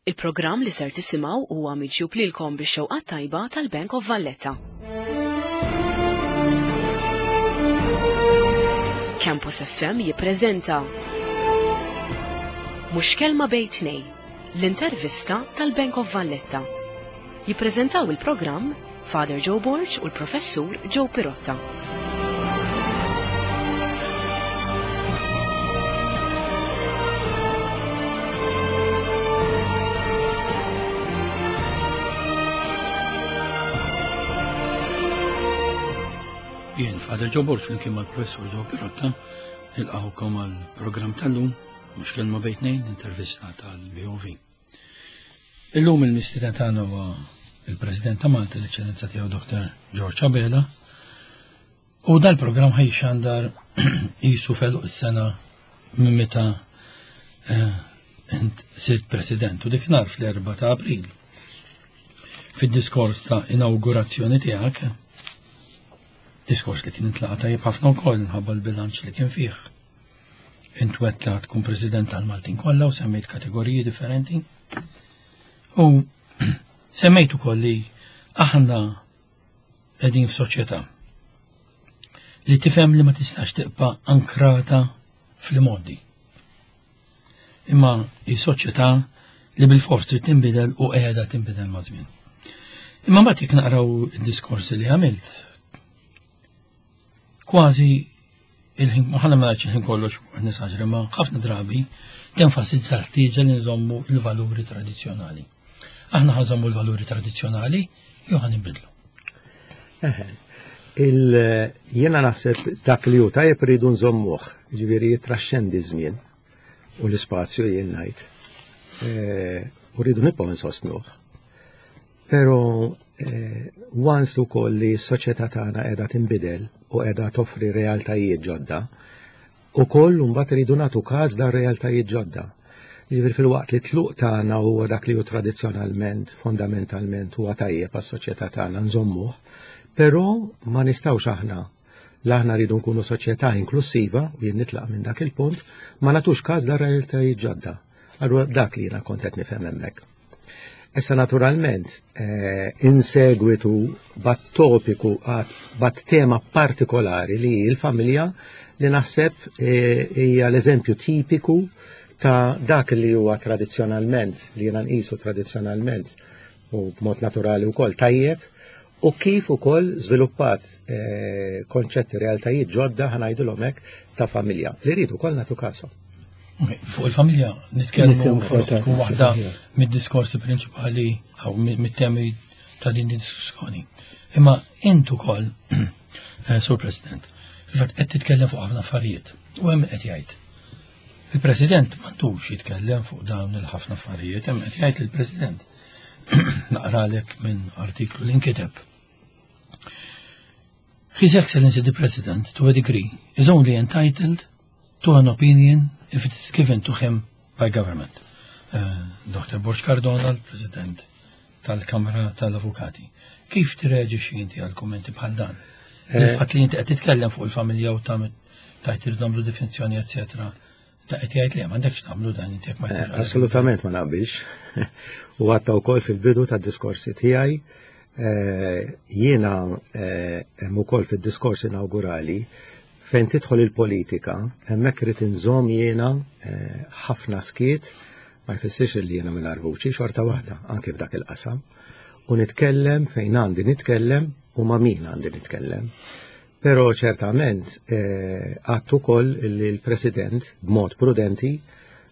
Il-programm li ser tisimgħu huwa miġjub lilkom bix-xewqa tajba tal-Bank of Valletta. Campus FM jippreżenta Mhux kelma bejn tnej, l-intervista tal-Bank of Valletta. Jippreżentaw il-programm Father Joe Borg u l-Professur Joe Pirotta. Jien Father Joe Borg flimkien mal-Professur Joe Pirotta nilqgħukom għall-programm tal-lum mhux kelma bejn tnejn intervista tal-BOV. Illum il-mistieden tagħna huwa il-President ta' Malta, l-Eċċellenza tiegħu Dr. George Abela. U dal-programm ħajxandar jisu feluq is-sena minn meta eh, int sirt President u dik nhar fl-4 ta' April. Fid-diskors ta' inaugurazzjoni tiegħek, diskors li kien intlaqa tajjeb ħafna wkoll minħabba l-bilanċ li kien fih. Int wet li tkun president tal-Maltin kollha u semmejt kategoriji differenti. U semmejt ukoll li aħna qegħdin f'soċjetà li tifhem li ma tistax tibqa' ankrata fl-modi. Imma hi soċjetà li bil-fors trid tinbidel u qiegħda tinbidel ma' żmien. Imma mbagħad jekk naqraw id-diskorsi li għamilt, kważi il-ħin, ħana ma il-ħin kollox nisaġri, ma ħafna drabi tenfasizza l-ħtieġa li nżommu l-valuri tradizzjonali. Aħna ħanżommu l-valuri tradizzjonali jew ħan nbidlu. Jiena naħseb dak li hu tajjeb rridu nżommuh, ġifieri jitraxxendi żmien u l-ispazju jien ngħid. Eh, u rridu nibqgħu nsostnuh. Pero eh, once ukoll li s-soċjetà tagħna qiegħda tinbidel u qiegħda toffri realtajiet ġodda, ukoll mbagħad iridu nagħtu każ dan realtajiet ġodda. Jiġifieri fil-waqt li tluq tagħna huwa dak li hu tradizzjonalment, fondamentalment huwa tajjeb għas-soċjetà tagħna nżommuh, però ma nistgħux aħna l aħna rridu nkunu soċjetà inklusiva u jien nitlaq minn dak il-punt, ma nagħtux każ dan realtajiet ġodda. Allura dak li jiena kont qed nifhem hemmhekk. Issa naturalment, eh, in segwitu bat topiku, bat tema partikolari li l-familja li naħseb eh, hija l-eżempju tipiku ta' dak li huwa tradizzjonalment, li jiena nqisu tradizzjonalment u b'mod naturali wkoll tajjeb, u kif ukoll żviluppat eh, konċetti realtajiet ġodda ħanajdilhom hekk ta' familja li rridu wkoll nagħtu kasom. Fuq il-familja nitkellmu tkun waħda mid-diskorsi prinċipali jew mit-temi ta' din id-diskussjoni. Imma int ukoll, eh, Sur President, fil-fatt qed titkellem fuq ħafna affarijiet u hemm qed jgħid. Il-President m'għandux jitkellem fuq dawn il-ħafna affarijiet, hemm qed jgħid il-President. Naqralek minn artiklu li nkiteb. His Excellency the President, to a degree, is only entitled to an opinion if it is given to him by government. Uh, Dr. Borg Cardona, l-President tal-Kamra tal-Avukati. Kif tirreġixxi inti għal kummenti bħal dan? Eh. Il-fatt li inti qed titkellem fuq il-familja u tagħmel tajt irdu nagħmlu definizzjoni eċetera. Ta' qed jgħid li m'għandekx nagħmlu dan inti jekk ma eh, Assolutament ma naqbilx. U għatta wkoll fil-bidu tad-diskorsi tiegħi eh, jiena hemm ukoll fid-diskors inawgurali Fejn tidħol il-politika, hemmhekk irid inżomm jiena eh, ħafna skiet, ma jfissirx li jiena mingħajr vuċi xorta waħda anke f'dak il-qasam. U nitkellem fejn għandi nitkellem u ma' min għandi nitkellem. Però ċertament eh, għattu ukoll li l-President b'mod prudenti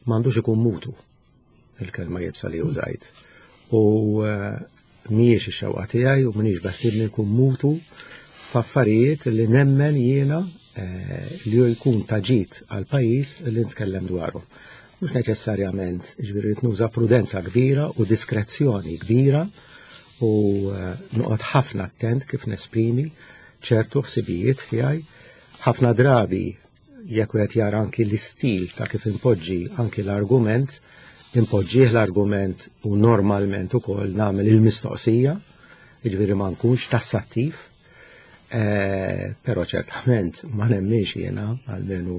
m'għandux ikun mutu. il-kelma jibsa li użajt. U eh, mhijiex ix-xewqa tiegħi u m'iniex beħsiebni nkun mutu f'affarijiet li nemmen jiena eh, li jkun taġit għal pajjiż li nitkellem dwaru. Mhux neċessarjament, ġifieri nuża prudenza kbira u diskrezzjoni kbira u eh, noqgħod ħafna attent kif nesprimi ċertu ħsibijiet tiegħi. Ħafna drabi jekk wieħed jara anki l-istil ta' kif impoġġi anki l-argument, impoġġih l-argument u normalment ukoll nagħmel il-mistoqsija, jiġifieri ma nkunx tassattiv, eh, però ċertament ma nemminx jiena għalmenu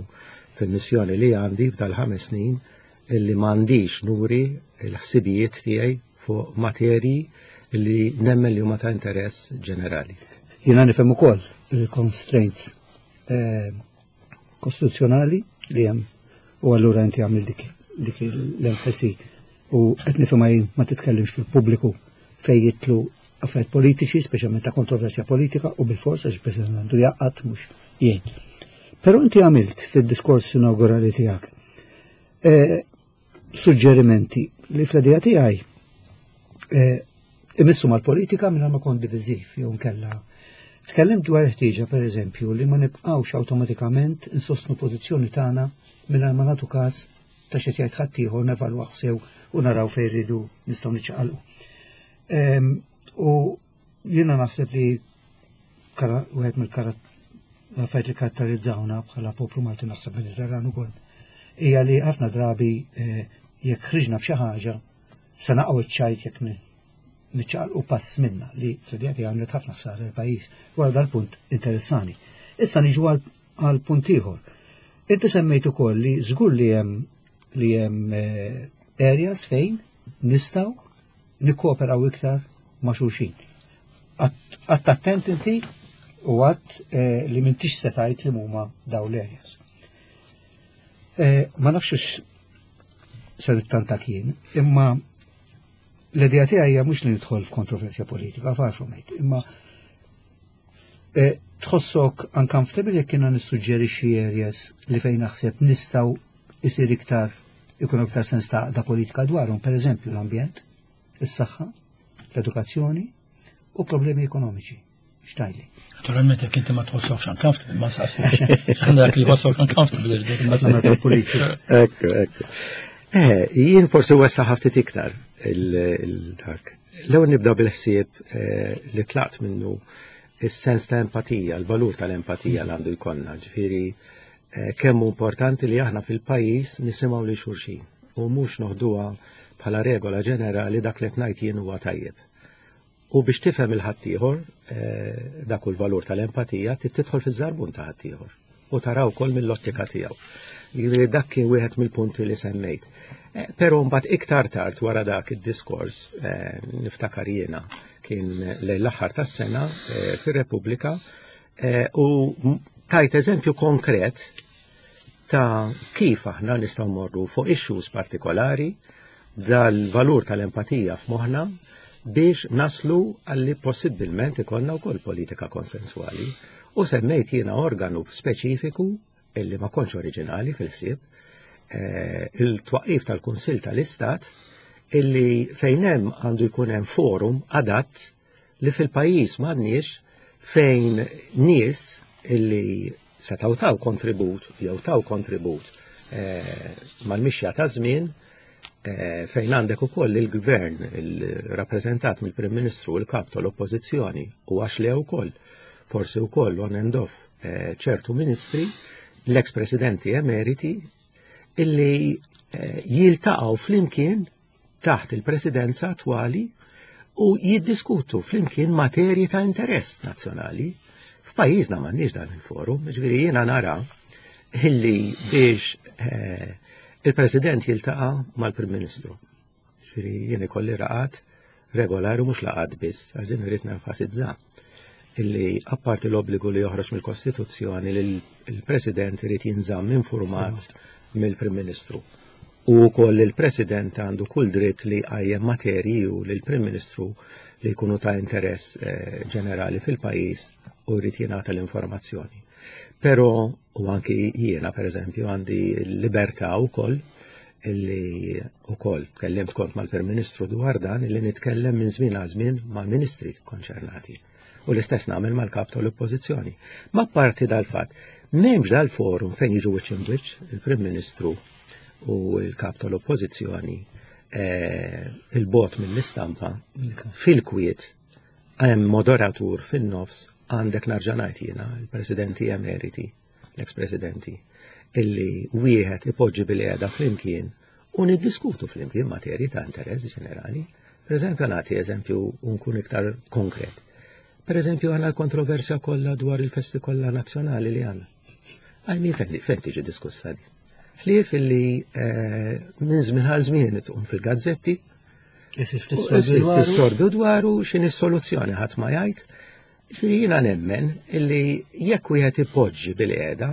fil-missjoni li għandi f'dal-ħames snin. illi m'għandix nuri l-ħsibijiet tiegħi fuq materji li nemmen li huma ta' interess ġenerali. Jiena nifhem ukoll il-constraints eh, kostituzzjonali li hemm u allura inti għamil dik dik l-enfasi u qed nifhimha jien ma titkellimx fil-pubbliku fejn jitlu affarijiet politiċi, speċjalment ta' kontroversja politika u bil-fors għax il-President għandu jaqgħad mhux jgħid. Però inti għamilt fid-diskors inaugurali tiegħek eh, suġġerimenti li fl-idea tiegħi eh, imissu mal-politika minn ma kont diviżiv jew nkella. Tkellim dwar ħtieġa pereżempju li ma nibqgħux awtomatikament insostnu pożizzjoni tagħna mingħajr ma nagħtu każ ta' xi jgħid ħaddieħor nevalwaw sew u naraw fejn rridu nistgħu niċċaqalqu. Ehm, u jiena naħseb li wieħed mill-affarijiet li karatterizzawna bħala poplu Malti naħseb Mediterran ukoll hija li ħafna drabi eh, jekk ħriġna b'xi ħaġa se naqgħu iċ-ċajt jekk niċċaqalqu pass minna li fl-idea tiegħi għamlet ħafna ħsara l-pajjiż. Wara dal-punt interessani. Issa niġu għal punt ieħor. Inti semmejt ukoll li żgur li hemm li hemm eh, areas fejn nistgħu nikkooperaw iktar ma' xulxin. Għatt attent inti u għatt eh, li m'intix se tgħid li huma daw l-areas. Eh, ma nafx ser tanta kien, imma l-idea tiegħi hija mhux li nidħol f'kontroversja politika, far from it, imma eh, tħossok uncomfortable jekk kiena nissuġġerixxi areas li fejn naħseb nistgħu isir iktar ikun iktar sens ta' da politika dwarhom, per eżempju l-ambjent, is-saħħa, l-edukazzjoni u problemi ekonomiċi. Xtajli. Naturalment jekk inti ma tħossokx uncomfortable, ma saqsux. Għandek li jħossok uncomfortable. Ekku, ekku. Eh, jien forsi wessa ħaftit iktar il-dak. L-ewwel nibda bil-ħsieb eh, li tlaqt minnu is-sens ta' empatija, l-valur tal-empatija li għandu jkollna. Ġifieri eh, kemm hu importanti li aħna fil-pajjiż nisimgħu li xulxin u mhux noħduha bħala regola ġenerali dak li qed ngħid jien huwa tajjeb. U biex tifhem il-ħaddieħor, eh, dak hu l-valur tal-empatija, trid tidħol fiż-żarbun ta' ħaddieħor u taraw ukoll mill-ottika tiegħu. Jiġifieri dak kien wieħed mill-punti li semmejt. Eh, però mbagħad iktar tard wara dak id-diskors eh, niftakar jiena kien lejn l-aħħar tas-sena fir-Repubblika u tajt eżempju konkret ta' kif aħna nistgħu morru fuq issues partikolari dal-valur tal-empatija f'moħħna biex naslu għalli possibbilment ikollna wkoll politika konsensuali. U semmejt jiena organu speċifiku illi ma kontx oriġinali fil-ħsieb, eh, il-twaqif tal-Kunsill tal-Istat illi fejn hemm għandu jkun hemm forum adatt li fil-pajjiż m'għandniex fejn nies illi setgħu taw kontribut jew taw kontribut eh, mal-mixja ta' żmien eh, fejn għandek ukoll il-gvern il-rappreżentat mill-Prim Ministru u l-kap tal-Oppożizzjoni u għax le wkoll forsi wkoll on and off eh, ċertu ministri l-ex presidenti emeriti illi jiltaqgħu flimkien taħt il-presidenza attwali u jiddiskutu flimkien materji ta' interess nazzjonali. F'pajjiżna m'għandniex dan il-forum, ġifieri jiena nara illi biex eh, il-President jiltaqa' mal-Prim Ministru. Ġifieri jien ikolli raqat regolari mhux laqat biss, għax din irrid nenfasizza illi apparti l-obbligu li joħroġ mill-Kostituzzjoni li l-President irid jinżamm informat mill-Prim Ministru. U wkoll il-President għandu kull dritt li jqajjem materji u lill-Prim Ministru li jkunu ta' interess eh, ġenerali fil-pajjiż u jrid jingħata l-informazzjoni. Però u anki jiena pereżempju għandi l-libertà wkoll illi wkoll tkellimt kont mal-Prim Ministru dwar dan illi nitkellem minn żmien għal żmien mal-ministri konċernati. U l-istess nagħmel mal-kap tal-Oppożizzjoni. Ma parti dal-fatt, m'hemmx dal-forum fejn jiġu wiċċ imwiċċ il-Prim Ministru u l-kap tal-Oppożizzjoni eh, il-bot mill-istampa fil-kwiet hemm moderatur fin-nofs għandek narġa' ngħid jiena il-presidenti emeriti, l-ex-presidenti, illi wieħed ipoġġi bil-qiegħda flimkien u niddiskutu flimkien materji ta' interess ġenerali. Per eżempju, nagħti eżempju nkun iktar konkret. Per eżempju, għandna l-kontroversja kollha dwar il-festi kollha nazzjonali li għandna. Għajmi fejn tiġi diskussa di. Ħlief illi eh, minn żmien għal żmien tqum fil-gazzetti. Tistorbju dwaru x'inhi s-soluzzjoni ħadd ma jgħid. Ġifieri jiena nemmen illi jekk wieħed ipoġġi bil-qiegħda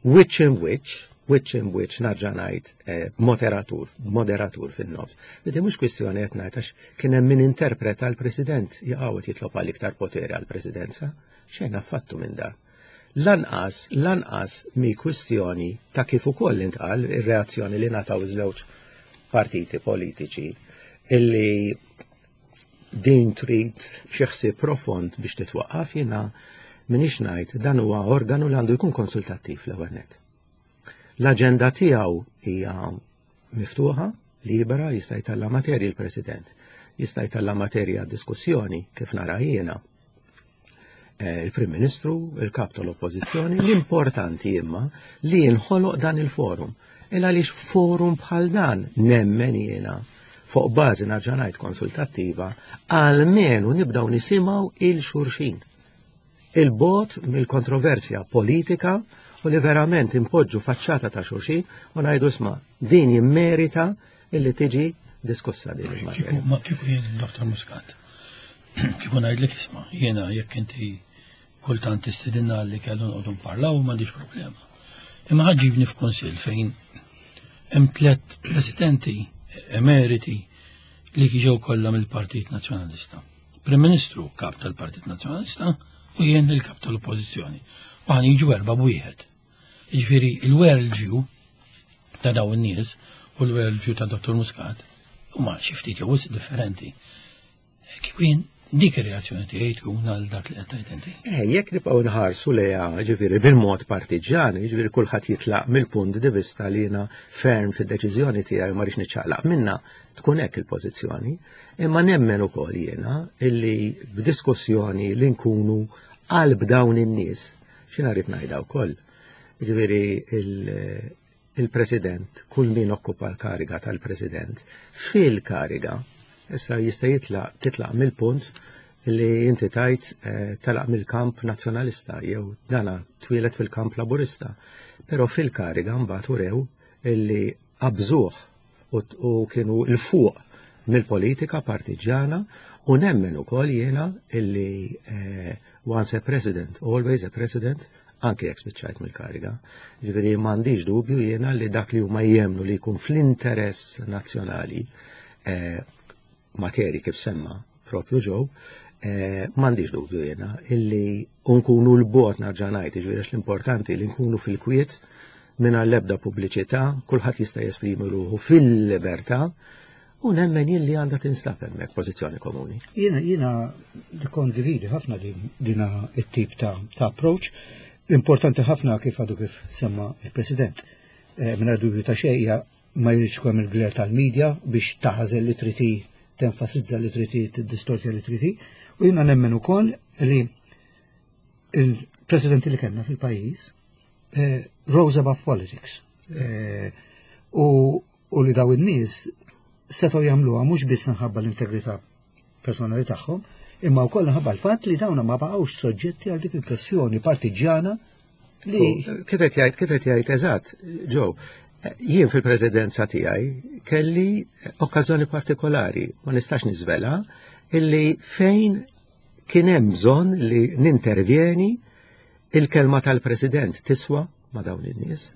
which in which, which in which narġa' ngħid eh, moderatur, moderatur fin-nofs. Bidi mhux kwistjoni qed ngħid għax kien hemm min interpreta l-President jaqgħu jitlob għal iktar poteri għall-Presidenza, xejn affattu minn dan. Lanqas, lanqas mi kwistjoni ta' kif ukoll intqal ir-reazzjoni li ngħataw iż-żewġ partiti politiċi illi din trid xi ħsieb profond biex titwaqqaf jiena minix ngħid dan huwa organu li għandu jkun konsultattiv l-ewwel nett. L-aġenda tiegħu hija miftuħa, libera, jista' jtella' materji l-President, jista' jtella' materja diskussjoni kif nara jiena. Eh, il-Prim Ministru, il-Kap tal-Oppożizzjoni, l-importanti imma li jinħoloq dan il-forum. Il għaliex forum bħal dan nemmen jiena fuq bażi nerġa' ngħid konsultattiva, għalmenu nibdaw nisimgħu il-xurxin. Il-bot mill-kontroversja politika u li verament impoġġu faċċata ta' xurxin u ngħidu isma' din jimmerita illi tiġi diskussa din il-materja. Ma kieku jien Dr. Muscat, kieku ngħidlek isma' jiena jekk inti kultant tistidinna li kellu nqogħdu nparlaw m'għandix problema. Imma ħaġibni f'kunsill fejn hemm tliet presidenti emeriti li ġew kollha mill-Partit Nazzjonalista. Prim Ministru kap tal-Partit Nazzjonalista u jien il-kap tal-Oppożizzjoni. U ħan jiġu erba' b'wieħed. Jiġifieri il-world view ta' dawn in-nies u l-world view ta' Dr. Muscat huma xi ftit jew differenti. Kieku jien dik ir-reazzjoni tiegħi tkun għal dak li qed tgħid inti. Eh, jekk nibqgħu nħarsu lejha, ġifieri bil-mod partiġjan, ġifieri kulħadd jitlaq mill-punt di vista li jiena ferm fid-deċiżjoni tiegħi ma rridx niċċaqlaq minna, tkun hekk il-pożizzjoni. Imma nemmen ukoll jiena illi b'diskussjoni li nkunu qalb dawn in-nies, x'jiena rrid ngħidha wkoll. Ġifieri il-President, kull min okkupa l-kariga tal-President, fil-kariga, issa jista' jitlaq titlaq mill-punt li inti tajt eh, telaq mill-kamp nazzjonalista jew dana twieled fil-kamp laburista. Però fil-kariga mbagħad urew illi qabżuh u kienu 'l fuq mill-politika partiġġjana u nemmen ukoll jiena illi eh, once a president, always a president, anke jekk spiċċajt mill-kariga. Ġifieri m'għandix dubju jiena li dak li huma jemnu li jkun fl-interess nazzjonali eh, materi kif semma propju ġew, eh, m'għandix dubju jiena illi nkunu l-bot narġa' ngħid, jiġifieri l-importanti li nkunu fil-kwiet mingħajr l-ebda pubbliċità, kulħadd jista' jesprimi ruħu fil-libertà u nemmen jien li għandha tinstab hemmhekk pożizzjoni komuni. Jiena jiena nikkondividi ħafna din dina it-tip ta', ta approach. Importanti ħafna kif għadu kif semma il-President. Eh, Mingħajr dubju ta' xejn ma jridx ikun hemm il-glare tal-media biex taħażel li trid tenfasizza li trid tiddistortja li trid U jiena nemmen ukoll li il-presidenti li kellna fil-pajjiż eh, rose above politics. Eh, u, u li daw in-nies setgħu jagħmluha mhux biss minħabba l-integrità personali tagħhom, imma wkoll minħabba l-fatt li dawna ma baqgħux soġġetti għal dik il-pressjoni partiġjana li. Kif qed jgħid, kif qed jgħid eżatt, Joe, jien fil-presidenza tiegħi kelli okkażjoni partikolari, ma nistax niżvela, illi fejn kien hemm bżonn li nintervjeni il-kelma tal-President tiswa ma' dawn in-nies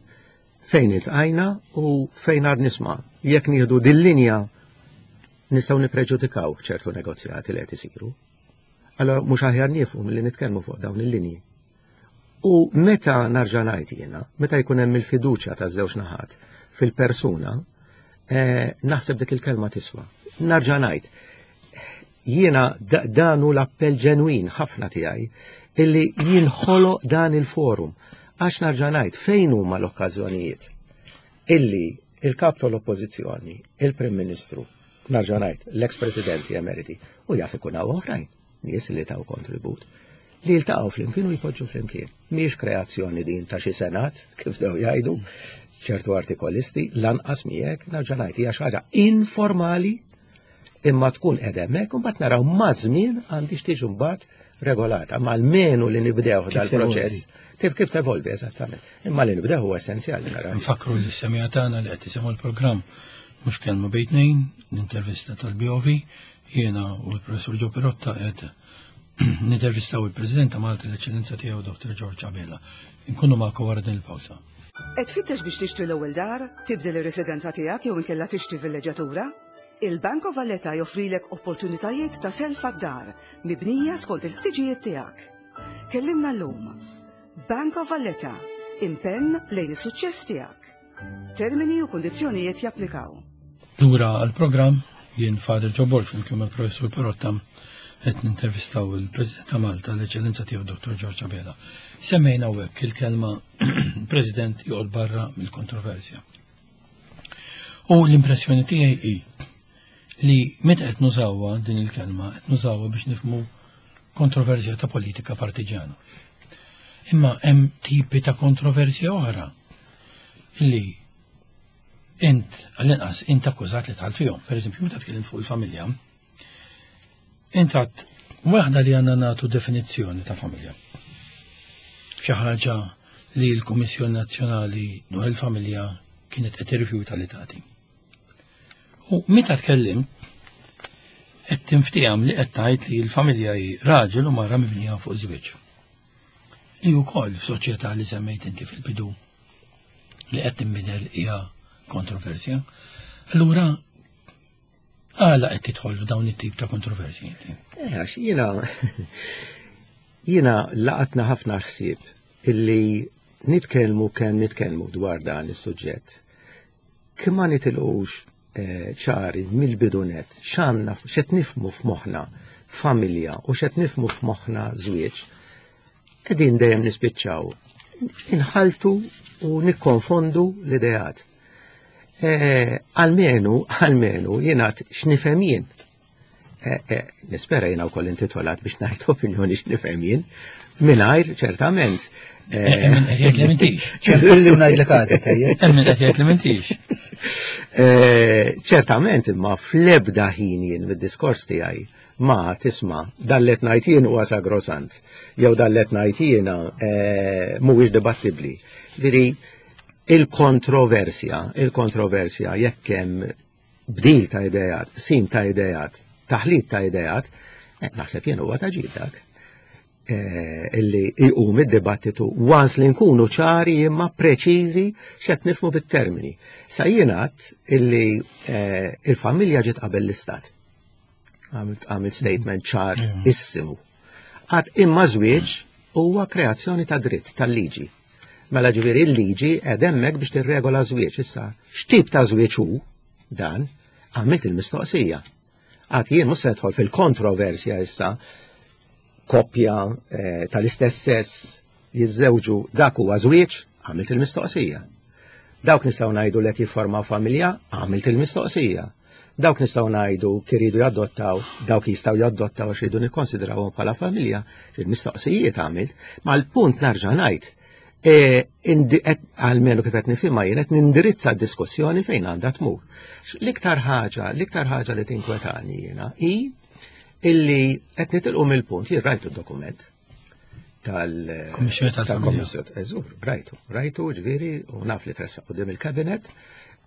fejn iltqajna u fejn għad nisma' jekk nieħdu dil-linja nistgħu nippreġudikaw ċertu negozjati li qed isiru. Allora mhux aħjar niefu milli nitkellmu fuq dawn il-linji. U meta narġa' ngħid jiena, meta jkun hemm il-fiduċja taż-żewġ naħat fil-persuna, eh, naħseb dik il-kelma tiswa. Narġa' ngħid, jiena dan hu l-appell ġenwin ħafna tiegħi illi jinħoloq dan il-forum. Għax narġa' ngħid fejn huma l-okkażjonijiet illi il-kap tal-oppożizzjoni, il-Prim Ministru, narġa' ngħid l-ex Presidenti emeriti u jaf ikun hawn oħrajn nies li taw kontribut li jiltaqgħu flimkien u jpoġġu flimkien. Mhijiex kreazzjoni din ta' xi senat, kif dew jgħidu ċertu artikolisti, lanqas miegħek narġa' ngħid hija xi ħaġa informali. Imma tkun qiegħda hemmhekk u mbagħad naraw maż-żmien għandix tiġi mbagħad regolata, ma almenu li nibdew dal-proċess. Kif kif tevolvi eżattament. Imma li nibdew huwa essenzjali naraw. Nfakru li semija tagħna li qed isimgħu l-programm mhux kelma bejn tnejn, l-intervista tal-BOV, jiena u l-professur Ġo Pirotta qed nintervistaw il-President ta' Malta l-Eċċellenza tiegħu Dr. George Abela. Inkunu magħkom wara din il-pawsa. Qed tfittex biex tixtri l-ewwel dar, tibdel ir-residenza tiegħek jew inkella tixtri villeġġatura? Il-Bank of Valletta joffrilek opportunitajiet ta' self għad-dar mibnija skont il-ħtiġijiet tiegħek. Kellimna llum. Bank of Valletta, impenn lejn is-suċċess tiegħek. Termini u kundizzjonijiet japplikaw. Lura għall-programm jien Father Joe Borg flimkien mal-Professur Perotta qed nintervistaw il-President ta' Malta l-Eċċellenza tiegħu Dr. George Abela. Semmejna hawnhekk il-kelma President joqgħod barra mill-kontroversja. U l-impressjoni tiegħi hi li meta qed nużawha din il-kelma qed nużawha biex nifhmu kontroversja ta' politika partiġjana. Imma hemm tipi ta' kontroversja oħra li int għall-inqas int akkużat li tħall fihom. Per eżempju, meta tkellim fuq il-familja, int għad waħda li għandna nagħtu definizzjoni ta' familja. Xi ħaġa li l-Kummissjoni Nazzjonali dwar il-Familja kienet qed tirrifjuta li tagħti. U meta tkellim qed tinftiham li qed tgħid li l-familja hi raġel u mara mibnija fuq żwieġ. Li wkoll f'soċjetà li semmejt inti fil-bidu li qed tinbidel hija kontroversja. Allura għala qed tidħol f'dawn it-tip ta' kontroversji inti? Eh, għax jiena jiena laqatna ħafna ħsieb illi nitkellmu kemm nitkellmu dwar dan is-suġġett. Kemm ma nitilqux eh, ċari mill-bidunet x'għandna x'qed nifhmu f'moħħna familja u x'qed nifhmu f'moħħna żwieġ, qegħdin dejjem nispiċċaw inħaltu u nikkonfondu l-ideat. Eh, almenu, almenu, jiena x'nifhem jien. Eh, eh, nispera jiena wkoll intitolat biex ngħid opinjoni x'nifhem jien, mingħajr ċertament. Min qed jgħid li m'intix. Ċempilli u ngħidlek għadek, ejja. Min qed jgħid li m'intix. Ċertament imma fl-ebda ħin jien mid-diskors tiegħi ma tisma' dan li qed ngħid jien huwa sagrosant jew dan li qed ngħid jiena mhuwiex dibattibbli. Ġifieri il-kontroversja, il-kontroversja jekk hemm bdil ta' idejat, sim ta' idejat, taħlit ta' idejat, eh, naħseb jien huwa ta' ġid dak. Eh, illi jqum id-dibattitu once li nkunu ċari imma preċiżi x'qed nifhmu bit-termini. Sa jingħad illi eh, il-familja ġiet qabel l-istat. Għamilt statement ċar issimu. Għad imma żwieġ huwa kreazzjoni ta' dritt tal-liġi. Mela ġifieri l-liġi qed hemmhekk biex tirregola żwieġ issa. X'tip ta' żwieġ hu dan? Għamilt il-mistoqsija. Għad jien mhux se nidħol fil-kontroversja issa koppja eh, tal-istess sess jiżżewġu dak huwa żwieġ, għamilt il-mistoqsija. Dawk nistgħu ngħidu li qed jiffurmaw familja, għamilt il-mistoqsija. Dawk nistgħu ngħidu kif iridu jadottaw, dawk jistgħu jadottaw għax iridu nikkonsidrawhom bħala familja, il-mistoqsijiet għamilt, ma l-punt narġa' ngħid e, għalmenu kif qed nifhimha jien qed nindirizza d-diskussjoni fejn għandha tmur. L-iktar ħaġa, l-iktar ħaġa li tinkwetani jiena hi illi qed nitilqu mill-punt jien rajtu d-dokument tal-Kummissjoni tal-Familja. Eżur, rajtu, rajtu ġifieri u naf li tressaq quddiem il-kabinet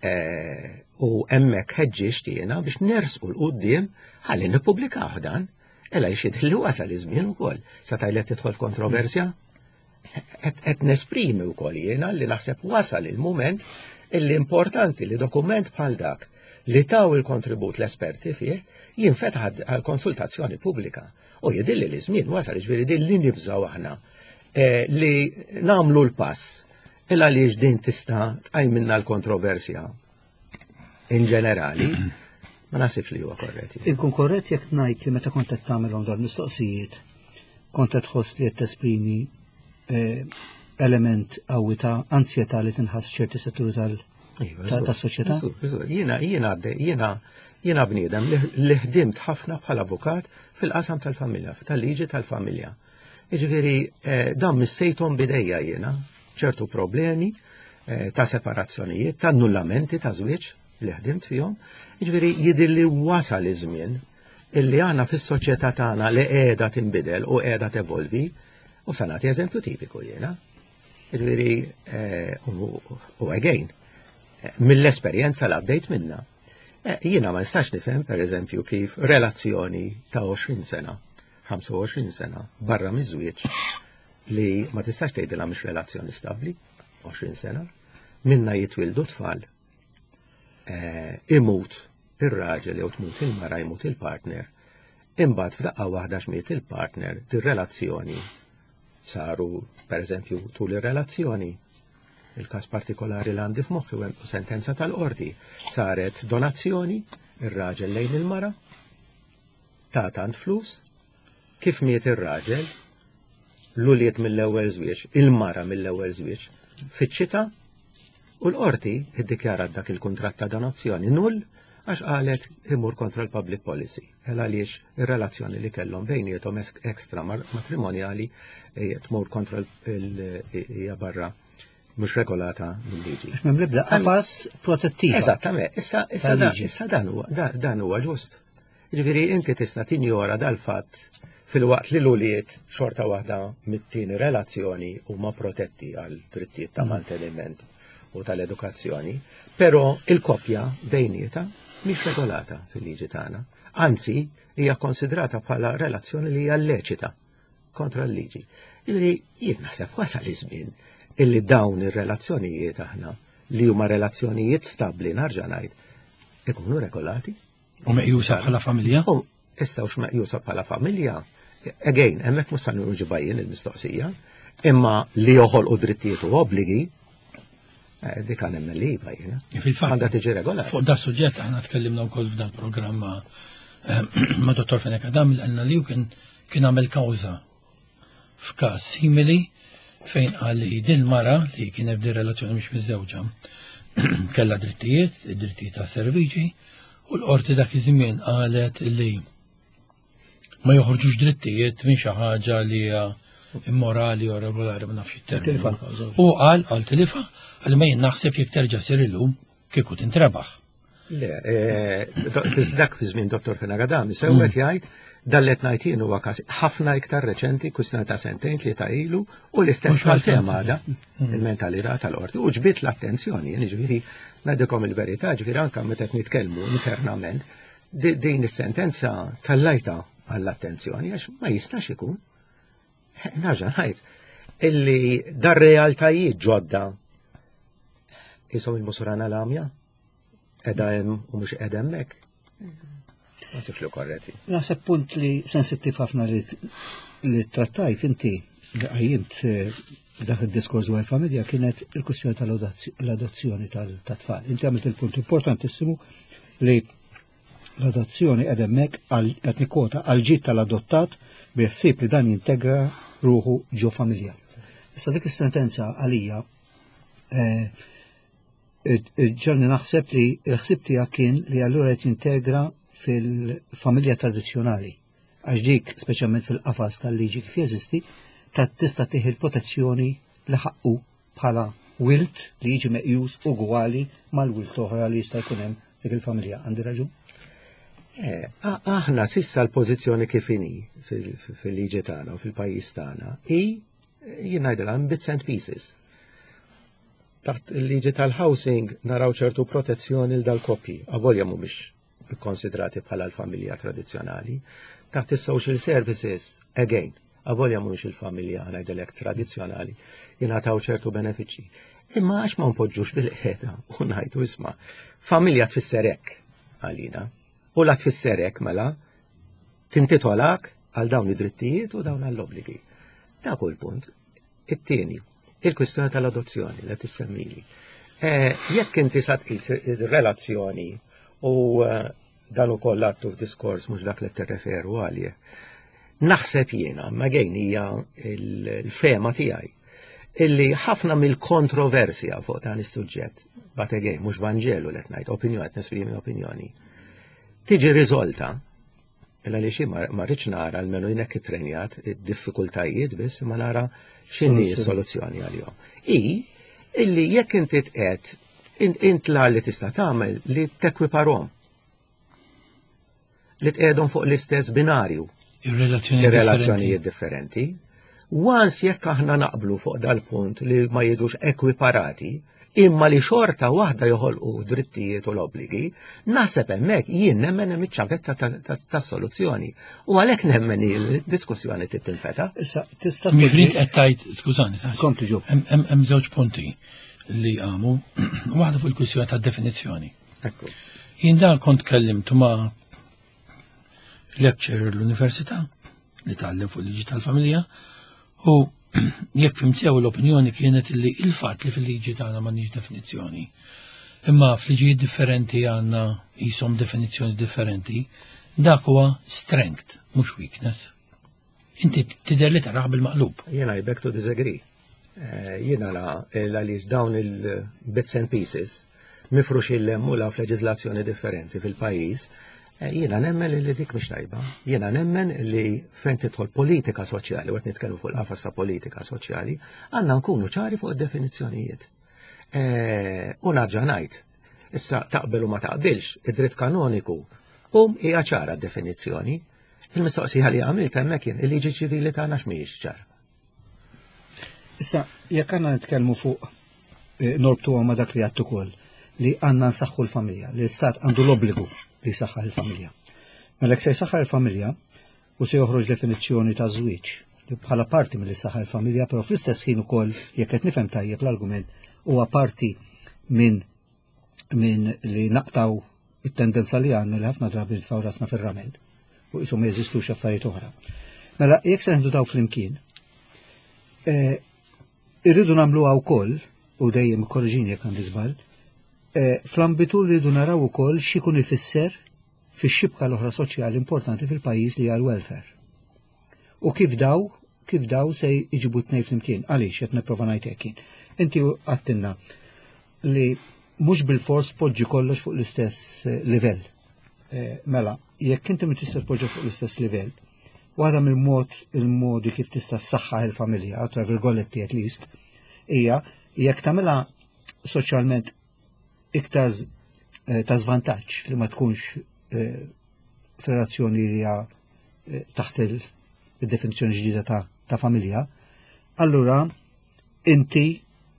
eh, u hemmhekk ħeġġiġt jiena biex nersqu l quddiem ħalli nippubblikaw dan. Ela jxid li wasal iż-żmien ukoll. Sa tajlet tidħol f'kontroversja? Qed nesprimi wkoll jiena li naħseb wasal il-mument illi importanti li dokument bħal dak li taw il-kontribut l-esperti fih jinfetaħ għal konsultazzjoni pubblika. U jidilli li żmien wasal ġifieri din li nibżgħu aħna eh, li nagħmlu l-pass il għaliex din tista' tqajmilna l-kontroversja in ġenerali, ma nasibx li huwa korrett. Inkun korrett jekk ngħid li meta kont qed tagħmelhom dawn mistoqsijiet, kont qed tħoss li qed tesprimi eh, element qawwi ta' ansjetà li tinħass ċerti setturi tal- Iva, tas-soċjetà. Jiena jiena jiena jiena bniedem li ħdimt ħafna bħala avukat fil-qasam tal-familja, tal-liġi tal-familja. Jiġifieri eh, dan missejthom bidejja jiena ċertu problemi eh, ta' separazzjonijiet, ta' annullamenti ta' żwieġ. li ħdimt fihom, jiġifieri jidhirli wasal iż-żmien illi aħna fis-soċjetà tagħna li qiegħda tinbidel u qiegħda tevolvi, u sa nagħti eżempju tipiku jiena. Jiġifieri eh, u again, eh, mill-esperjenza li għaddejt minna. Eh, jiena ma nistax nifhem pereżempju kif relazzjoni ta' 20 sena, 25 sena barra miż-żwieġ li ma tistax tgħidilha mhix relazzjoni stabbli, 20 sena, minna jitwildu tfal, eh, imut ir-raġel jew tmut il-mara jmut il-partner, imbagħad f'daqqa waħda xmiet il-partner dir-relazzjoni saru pereżempju tul ir-relazzjoni il-każ partikolari li għandi f'moħħi u sentenza tal-qorti saret donazzjoni ir-raġel lejn il-mara ta' tant flus Kif miet ir-raġel, l-ulied mill-ewwel żwieġ, il-mara mill-ewwel żwieġ, fiċċita u l-qorti iddikjarat dak il-kuntratt ta' donazzjoni null għax qalet imur kontra l-public policy. El għaliex ir-relazzjoni li kellhom bejniethom ekstra matrimonjali eh, tmur kontra hija barra mhux regolata mill-liġi. M'hemm l-ebda qafas protettiv. Eżattament, issa issa dan huwa dan huwa ġust. Jiġifieri inti tista' tinjora dal-fatt filwaqt li l-ulied xorta waħda mit-tieni relazzjoni huma protetti għal drittijiet ta' manteniment u tal-edukazzjoni, però il-koppja bejnietha mhix regolata fil-liġi tagħna. Anzi, hija konsidrata bħala relazzjoni li hija lleċita kontra l-liġi. Jiġifieri jien naħseb wasal iż-żmien illi dawn ir-relazzjonijiet aħna li huma relazzjonijiet stabbli narġa' ngħid ikunu regolati. U meqjusa bħala familja? U issa hux meqjusa bħala familja, again, hemmhekk mhux se nirġiba jien il-mistoqsija, imma li joħolqu drittijiet u obbligi, eh, dik għan emmen li iva jiena. Fil-fatt. Għandha tiġi regolata. Fuq da suġġett aħna tkellimna wkoll f'dan programm eh, ma' Dottor Fenek Adam li għalna li kien kien għamel kawża f'każ simili fejn qal li din mara li kien hemm relazzjoni mhux miżewġa kellha drittijiet, id-drittijiet ta' serviġi, u l-qorti dak iż-żmien qalet li ma joħorġux drittijiet minn xi ħaġa li hija immorali u regolari ma nafx it-terminu. U qal qal tilifa, qal ma jien naħseb jekk terġa' sir illum kieku tintrebaħ. Le, eh, dak fi żmien Dottor Fenagadam, sewwet mm. jgħid dallet ngħid jien huwa każ ħafna iktar reċenti, kwistjoni ta' sentejn tlieta ilu, u l-istess bħal-fema għada, mm. il-mentalità tal-qorti, u ġbit l-attenzjoni, jiġifieri ngħidilkom il-verità, ġifieri anke meta qed nitkellmu internament, din is-sentenza tal-lajta għall-attenzjoni għax ma jistax ikun. Narġa' ngħid illi dar realtajiet ġodda jisom il-musurana l-għamja Edha hemm u mhux qiegħda hemmhekk. Ma sifx li korretti. Naħseb punt li sensittiv ħafna li trattajt inti li qajjimt eh, f'dak id-diskors dwar il-familja kienet il-kwistjoni tal-adozzjoni tal-tfal. Inti għamilt il-punt importantissimu li l-adozzjoni qed hemmhekk qed nikkota għal ġid tal-adottat bi ħsieb li dan jintegra ruħu ġo familja. Issa dik is-sentenza għalija eh, Ġalni naħseb li l-ħsib tiegħek kien li allura qed jintegra fil-familja tradizzjonali. Għax dik, speċjalment fil-qafas tal-liġi kif jeżisti, ta' tista' tieħi l-protezzjoni li ħaqqu bħala wilt li jiġi meqjus ugwali mal-wilt oħra li jista' jkun hemm dik il-familja. Għandi raġun? Eh, aħna sissa l-pożizzjoni kif inhi fil-liġi tagħna u fil-pajjiż tagħna hi jien ngħidilha bits and pieces. Taħt il-liġi tal-housing naraw ċertu protezzjoni l dal-koppji, avolja mhumiex ikkonsidrati bħala l-familja tradizzjonali. Taħt is-social services, again, avolja mhumiex il-familja ngħidilek tradizzjonali, jingħataw ċertu benefiċċji. Imma għax ma npoġġux bil-qiegħda u ngħidu isma' familja tfisser hekk għalina. U la tfisser hekk mela tintitolak għal dawn id-drittijiet u dawn għall-obbligi. Dak hu l-punt. It-tieni, il-kwistjoni tal-adozzjoni li tissemmili. Eh, jekk inti sa tqis ir-relazzjoni u eh, dan ukoll għattu f'diskors mhux dak li tirreferu għalih. Naħseb jiena, ma gejn hija l-fema tiegħi illi ħafna mill-kontroversja fuq dan is-suġġett, but again, mhux Vanġelu li qed ngħid, opinjoni qed nesprimi opinjoni, tiġi riżolta Illa li xi ma rridx nara almenu jien hekk ittrenjat id-diffikultajiet biss ma nara x'inhi s-soluzzjoni għalihom. I illi jekk inti tqed Int la li tista' tagħmel li tekwiparhom. Li tqiegħdhom fuq l-istess binarju. Ir-relazzjonijiet differenti. Once jekk aħna naqblu fuq dal-punt li ma jiġux ekwiparati, imma li xorta waħda joħolqu drittijiet u l-obbligi, naħseb hemmhekk jien nemmen hemm iċ-ċavetta tas-soluzzjoni. U għalhekk nemmen il-diskussjoni trid tinfeta. Issa tista' Mifrid qed tgħid, skużani, Kompli ġo. Hemm żewġ punti li għamu, waħda fuq il-kwistjoni tad-definizzjoni. Ekku. Jien dan kont kellimtu ma' lecturer l-università li tgħallem fuq liġi tal-familja u jekk fhimt sew l-opinjoni kienet li il-fatt li fil-liġi tagħna m'għandniex definizzjoni. Imma f'liġijiet differenti għandna jisom definizzjoni differenti, dak huwa strength, mhux weakness. Inti tidher li taraħ bil-maqlub. Jiena I beg to disagree. Eh, jiena la għaliex dawn il-bits and pieces mifrux il-lemmu la f'leġiżlazzjoni differenti fil-pajjiż, eh, jiena nemmen li dik mhix tajba. Jiena nemmen li fejn tidħol politika soċjali, u qed nitkellmu fuq l-qafas ta' politika soċjali, għandna nkunu ċari fuq id-definizzjonijiet. Eh, u narġa' ngħid, issa taqbel u ma taqbilx, id-dritt kanoniku, um hija ċara d-definizzjoni. Il-mistoqsija li għamilt hemmhekk kien il-liġi ċivili tagħna x'mhijiex ċara. Issa, jekk għandna nitkellmu fuq eh, norbtu ma dak li għattu ukoll li għandna nsaħħu l-familja, li l-istat għandu l-obbligu li jsaħħaħ il-familja. Mela se jsaħħaħ il-familja u se joħroġ definizzjoni ta' żwieġ li bħala parti mill saħħa il-familja, però fl-istess ħin ukoll jekk qed nifhem tajjeb l-argument huwa parti minn min li naqtaw it-tendenza li għandna li ħafna drabi nitfgħu rasna fir-ramel u qisu ma jeżistux affarijiet oħra. Mela, jekk se neħdu daw flimkien, eh, irridu nagħmluha wkoll u dejjem korriġini jekk għandi żball, eh, fl-ambitu rridu naraw ukoll x'ikun ifisser fix-xibka l-oħra soċjali importanti fil-pajjiż li hija l-welfare. U kif daw, kif daw se jġibu tnej flimkien, għaliex qed nipprova ngħid hekk jien. Inti għattinna li mhux bil-fors poġġi kollox fuq l-istess eh, livell. Eh, mela, jekk inti ma tista' tpoġġi fuq l-istess livell, waħda mill-mod il-modi kif tista' ssaħħaħ il-familja, tra virgoletti at least, hija jekk tagħmilha soċjalment iktar eh, ta' żvantaġġ li ma tkunx f'relazzjoni li hija taħt il-definizzjoni ġdida ta', ta familja, allura inti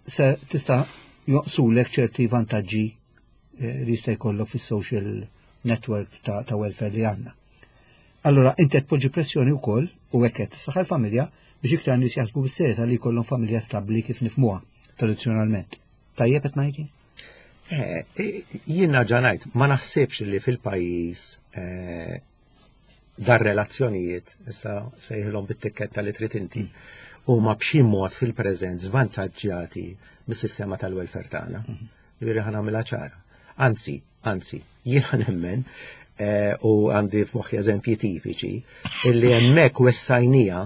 se tista' joqsulek ċerti vantaġġi eh, li jista' jkollok fis-social network ta', ta welfare li għandna. Allura inti qed tpoġġi pressjoni wkoll u hekk qed tissaħħa l-familja biex iktar nies jaħsbu bis-serjetà li jkollhom familja stabbli kif nifhmuha tradizzjonalment. Tajjeb qed ngħid eh, Jien narġa' ngħid, ma naħsibx li fil-pajjiż eh, dar relazzjonijiet, issa sejħilhom bit-tikketta li trid inti, huma b'xi mod fil-preżent żvantaġġjati mis-sistema tal-welfare tagħna. Mhm. Ġifieri ħa nagħmilha ċara. Anzi, anzi, jiena nemmen eh, u għandi f'moħħi eżempji tipiċi illi hemmhekk wessajnija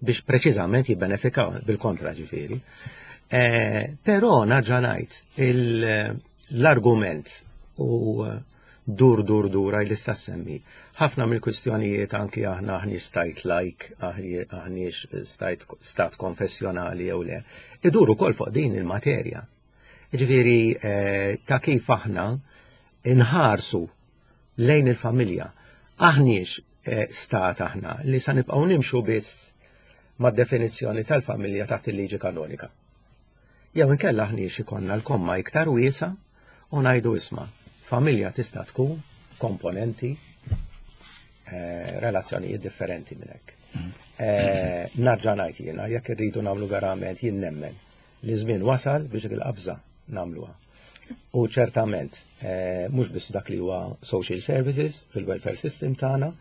biex preċiżament jibbenefikaw bil-kontra ġifieri. Eh, però narġa' ngħid l-argument u dur dur dur għaj li semmi. Ħafna mill-kwistjonijiet anki aħna aħni stajt like, aħniex stajt stat konfessjonali jew le, idur ukoll fuq din il-materja. Ġifieri eh, ta' kif aħna inħarsu lejn il-familja. Aħniex eh, stat aħna li sa nibqgħu nimxu biss mad-definizzjoni tal-familja taħt il-liġi kanonika. Jew inkella aħniex ikollna l-komma iktar wiesa u ngħidu isma' familja tista' tkun komponenti eh, relazzjonijiet differenti minn hekk. Eh, narġa' ngħid jiena jekk irridu nagħmlu verament jien nemmen li żmien wasal biex dik il-qabża nagħmluha. U ċertament eh, mhux biss dak li huwa social services fil-welfare system tagħna,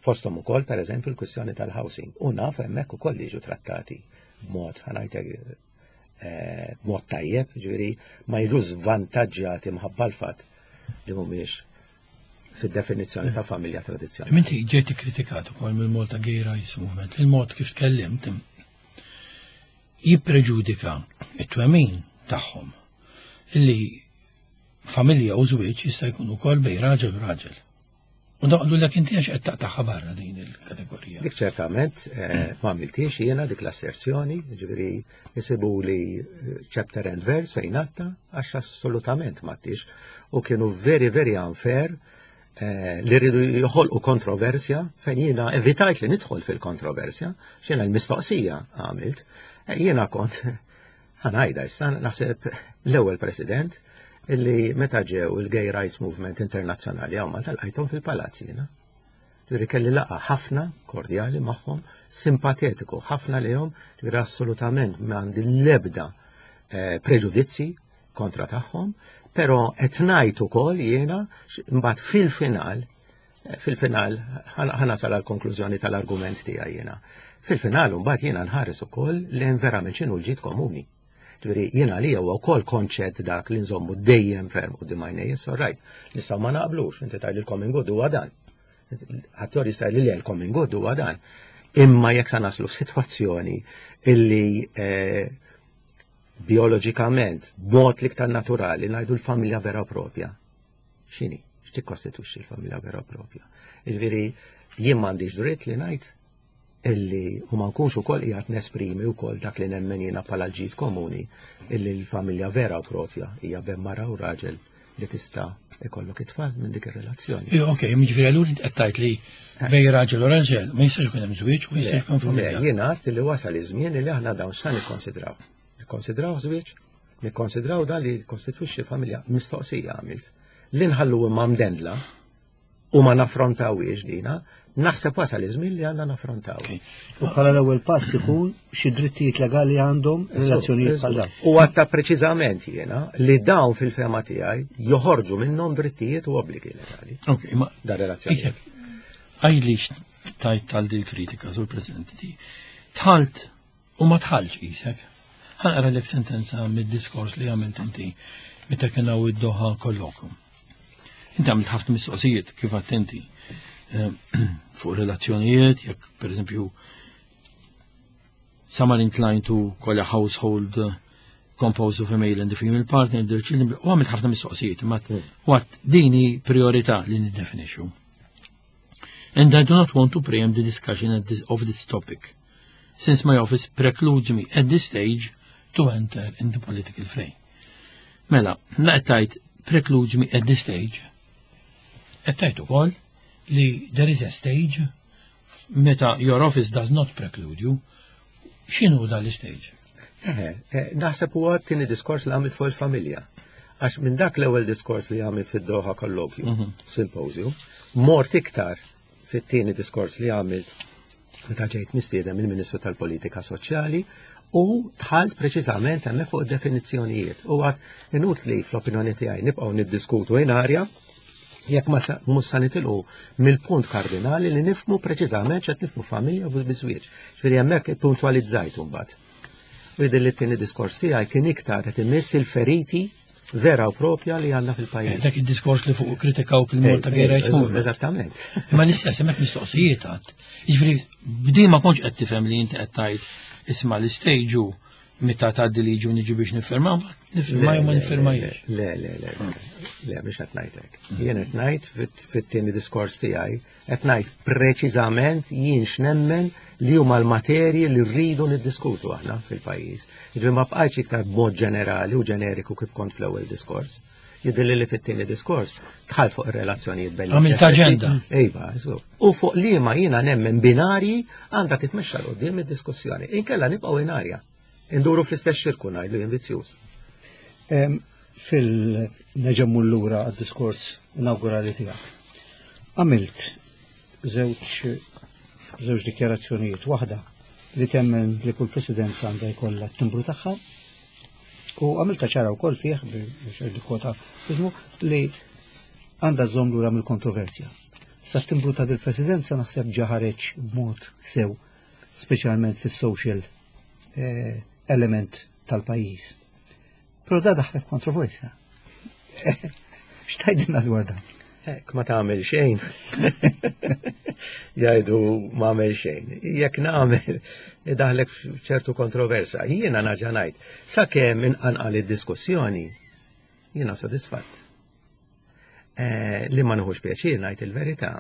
fosthom ukoll pereżempju l-kwistjoni tal-housing. U naf hemmhekk ukoll jiġu trattati b'mod ħanajtek Eh, b'mod tajjeb, ġifieri ma jiġu żvantaġġjati mħabba l-fatt li mhumiex fid-definizzjoni ta' familja tradizzjonali. Inti ġejt ikkritikat ukoll mill-Malta Gay Rights Movement, il-mod kif tkellimt jippreġudika it-twemmin tagħhom li familja u żwieġ jista' jkun ukoll bejn raġel u raġel. U daqlu l inti għax qed taqtaħħa barra din il-kategorija. Dik ċertament eh, ma għamiltiex jiena dik l-asserzjoni, ġifieri jisibu li eh, chapter and verse fejn għatta għax assolutament ma u kienu very very unfair eh, li rridu joħolqu kontroversja fejn jiena evitajt li nidħol fil-kontroversja, x'jiena l-mistoqsija għamilt. Jiena kont ħanajda issa naħseb l-ewwel president illi meta ġew il-Gay Rights Movement Internazzjonali hawn Malta lqajthom fil-palazz jiena. Ġifieri kelli laqgħa ħafna kordjali magħhom, simpatetiku ħafna lihom, ġifieri assolutament m'għandi l-ebda eh, preġudizzi kontra tagħhom, però qed ngħid ukoll jiena mbagħad fil-final eh, fil-final ħanasal għal konklużjoni tal-argument tiegħi jiena. Fil-final mbagħad jiena nħares ukoll lejn verament x'inhu l-ġid komuni. Ġifieri jien għalija huwa wkoll konċett dak li nżommu dejjem ferm quddiem għajnej, so right. Nistgħu ma naqblux, inti tgħid il-common good huwa dan. Ħadd jista' li l-common good huwa dan. Imma jekk sa naslu f'sitwazzjoni illi eh, bioloġikament, b'mod l-iktar naturali, ngħidu l-familja vera propja. X'inhi? X'tikkostitwixxi l-familja vera propja? Jiġifieri jien m'għandix dritt li ngħid illi u ma nkunx ukoll qiegħed nesprimi wkoll dak li nemmen jiena bħala l-ġid komuni illi l-familja vera u propja hija bejn mara u raġel li tista' ikollok it-tfal minn dik ir-relazzjoni. Ok, jiġifieri allura int qed tgħid li bejn raġel u raġel ma jistax ikun hemm żwieġ u jistax ikun familja. Jiena għedt li wasal iż-żmien li aħna dawn x'sa nikkonsidraw. Nikkonsidraw żwieġ, nikkonsidraw dan li jikkostitwixxi familja mistoqsija għamilt. Li nħallu imma mdendla u ma naffrontawhiex dina, naħseb wasal iż-żmien li għandna naffrontaw. U bħala l-ewwel pass ikun xi drittijiet legali għandhom relazzjonijiet bħal dawn. U għatta preċiżament jiena li dawn fil-fema tiegħi joħorġu minnhom drittijiet u obbligi legali. Ok, ma da relazzjoni. Għajli tajt tal dil kritika sur President. Tħalt U ma tħallx qisek. Ħa naqralek sentenza mid-diskors li għamilt inti meta kien hawn id-Doha Colloquium. Inti għamilt ħafna mistoqsijiet kif attenti eh, fuq relazzjonijiet, jekk pereżempju some are inclined to call a household eh, composed of a male and a female partner, their children, u għamilt ħafna mistoqsijiet, ma għat dini priorità li niddefinixxu. And I do not want to preempt the discussion this, of this topic, since my office precludes me at this stage to enter in the political fray. Mela, la qed precludes me at this stage. Qed tgħid ukoll li there is a stage meta your office does not preclude you. X'inhu dan l-stage? Eh, eh, naħseb huwa t-tieni diskors li għamilt fuq il-familja. Għax minn dak l-ewwel diskors li għamilt fid-Doha Kollokju, mhm. Symposium, mort iktar fit-tieni diskors li għamilt meta ġejt mistiedem il-Ministru tal-Politika Soċjali u dħalt preċiżament hemmhekk fuq definizzjonijiet. U għad inutli fl-opinjoni tiegħi nibqgħu niddiskutu in arja jekk ma mhux sa nitilqu mill-punt kardinali li nifmu preċiżament x'qed nifmu familja u biżwieġ. Ġifieri hemmhekk puntwalizzajt imbagħad. U jidher li t-tieni diskors tiegħi kien iktar qed imiss il-feriti vera u propja li għandna fil-pajjiż. Eh, dak id-diskors li fuq kritikaw il-Malta eh, Gay Rights Movement. Eżattament. Imma l-istess hemmhekk mistoqsijiet għad. Jiġifieri b'din ma kontx qed tifhem li inti qed tgħid isma' l-istejġu meta tgħaddi liġi u niġi biex nifirma, nifirma jew ma nifirmajiex. Le, le, le, le, mhux qed ngħid hekk. Jien qed ngħid fit-tieni diskors tiegħi, qed ngħid preċiżament jien x'nemmen li huma l-materji li rridu niddiskutu aħna fil-pajjiż. Jiġifieri ma bqajtx iktar b'mod ġenerali u ġeneriku kif kont fl-ewwel diskors. Jidhirli li fit-tieni diskors dħalt fuq ir-relazzjonijiet bejn Għamilt aġenda. Iva, u fuq liema jiena nemmen binarji għandha titmexxa l qudiem id-diskussjoni. Inkella nibqgħu inarja. Induru fl-istess xirku ngħidlu jien vizzjuż. Fil-neġemmu l-lura għad-diskors inaugurali tiegħek. Għamilt żewġ żewġ dikjarazzjonijiet. Waħda li temmen li kull presidenza għandha jkollha t-timbru tagħha u għamilta ċara wkoll fih biex kwota ismu li għandha żomm lura mill-kontroversja. Sa timbru ta' dil-presidenza naħseb ġa ħareġ b'mod sew, speċjalment fis-social eh, element tal-pajjiż. Però da daħlet kontroversja. X'tajdilna dwar dan? Ek ma tagħmel xejn. Jgħidu ma għamel xejn. Jekk nagħmel idaħlek f'ċertu kontroversa. Jiena naġa ngħid, sakemm inqanqal id-diskussjoni, jiena sodisfatt. Eh, li ma nħux pjaċir ngħid il-verità,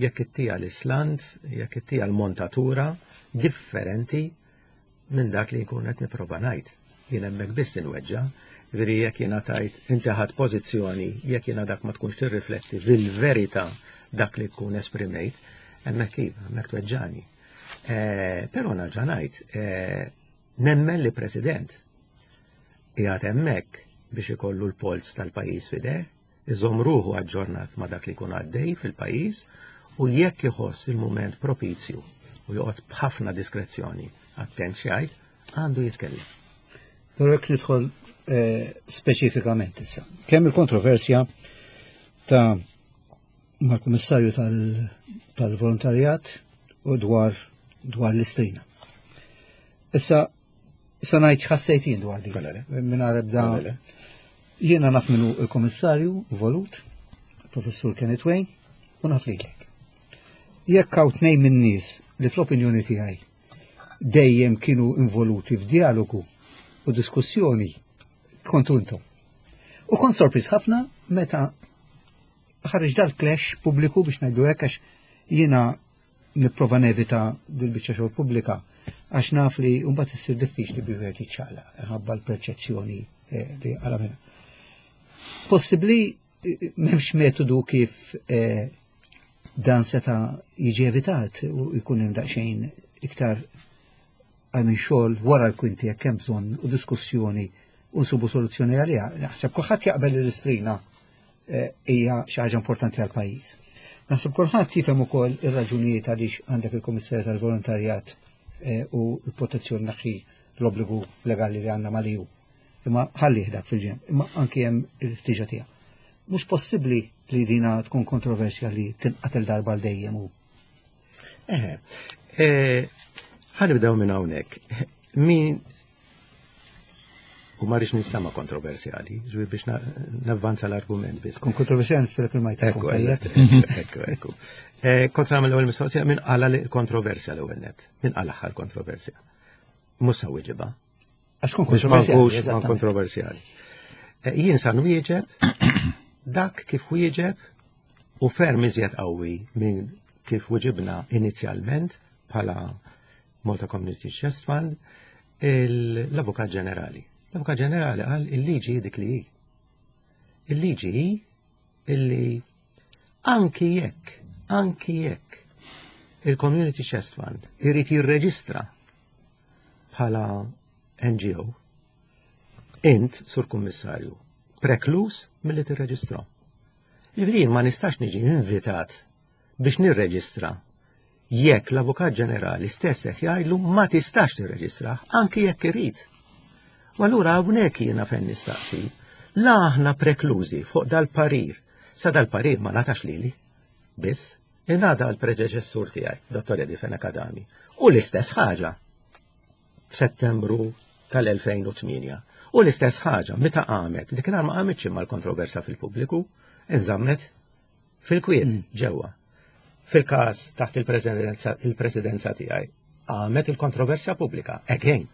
jekk ittija l-island, jekk ittija l-montatura differenti minn dak li nkun qed nipprova ngħid. Jien hemmhekk biss inweġġa', ġifieri jekk jiena tajt inti ħadd pożizzjoni, jekk jiena dak ma tkunx tirrifletti fil-verità dak li tkun esprimejt, hemmhekk iva, hemmhekk tweġġani. Eh, però nerġa' ngħid, eh, nemmen li President qiegħed hemmhekk biex ikollu l-polz tal-pajjiż fideh, iżomm ruħu aġġornat ma' dak li jkun għaddej fil-pajjiż u jekk iħoss il-mument propizju u joqgħod b'ħafna diskrezzjoni attent x'jgħid, għandu jitkellem. Però jekk nidħol eh, speċifikament issa. Kemm il-kontroversja ta' mal-Kummissarju tal-Volontarjat u dwar dwar l-istrina. Issa Issa ngħid x'ħassejt jien dwar din. Mingħajr ebda. Jiena naf minnu il-Kummissarju volut, Professur Kenneth Wayne, u naf lilek. Jekk hawn tnejn min-nies li fl-opinjoni tiegħi dejjem kienu involuti f'dialogu u diskussjoni kontu intom. U kont sorpriż ħafna meta ħareġ dal-clash pubbliku biex ngħidu hekk għax jiena nipprova nevita dil-biċċa xogħol pubblika għax naf li mbagħad issir diffiċli bi wieħed jiċċaqlaq ħabba l-perċezzjoni eh, li għala minna. Possibbli eh, m'hemmx metodu kif eh, dan seta' jiġi evitat u jkun hemm daqsxejn iktar għal minn xogħol wara l-kwinti jekk hemm bżonn u diskussjoni u nsubu soluzzjoni għaliha. Naħseb kulħadd jaqbel li l-istrina eh, hija xi ħaġa importanti għal pajjiż. Naħseb kulħadd jifhem ukoll ir-raġunijiet għaliex għandek il-Kummissarju tal-Volontarjat eh, u l-protezzjoni naħi l-obbligu legali li għandna mal-EU. Imma ħalli dak fil-ġemp, imma anki hemm il-ħtiġa tiegħu. Mhux possibbli li dina tkun kontroversja li tinqatel darba l dejjem u Eħe, eh, ħanibdew minn hawnhekk. Min u ma rridx nistama kontroversjali, ġifieri biex navvanza l-argument biss. Kun kontroversjali niftilek il-mikrofon. Ekku, ekku, ekku. Eh, kont nagħmel l-ewwel mistoqsija minn qala l-kontroversja l-ewwel net. Min qala aħħar kontroversja. Mhux sa wieġibha. Għax kun kontroversjali. kontroversjali. Eh, jien sa nwieġeb dak kif wieġeb u ferm iżjed qawwi minn kif wieġibna inizjalment bħala Malta Community Chest Fund l-Avukat Ġenerali. L-Avukat Ġenerali qal il-liġi dik li hi. Il-liġi hi illi anki jekk, anki jekk il-Community Chest Fund irid jirreġistra bħala NGO, int, sur kummissarju, preklus milli tirreġistra. Ġifieri ma nistax niġi invitat biex nirreġistra jekk l-Avukat Ġenerali stess qed jgħidlu ma tistax tirreġistra anki jekk irid. U allura hawnhekk jiena fejn nistaqsi, la aħna preklużi fuq dal-parir, sa dal-parir ma natax lili, biss ingħada l-predeċessur tiegħi, Dottor Eddie Fenech Adami. U l-istess ħaġa f'Settembru tal-2008. U l-istess ħaġa meta qamet, dik ma qamitx imma l-kontroversa fil-pubbliku, inżammet fil-kwiet mm. ġewwa. Fil-każ taħt il-presidenza tiegħi qamet il-kontroversja pubblika, again.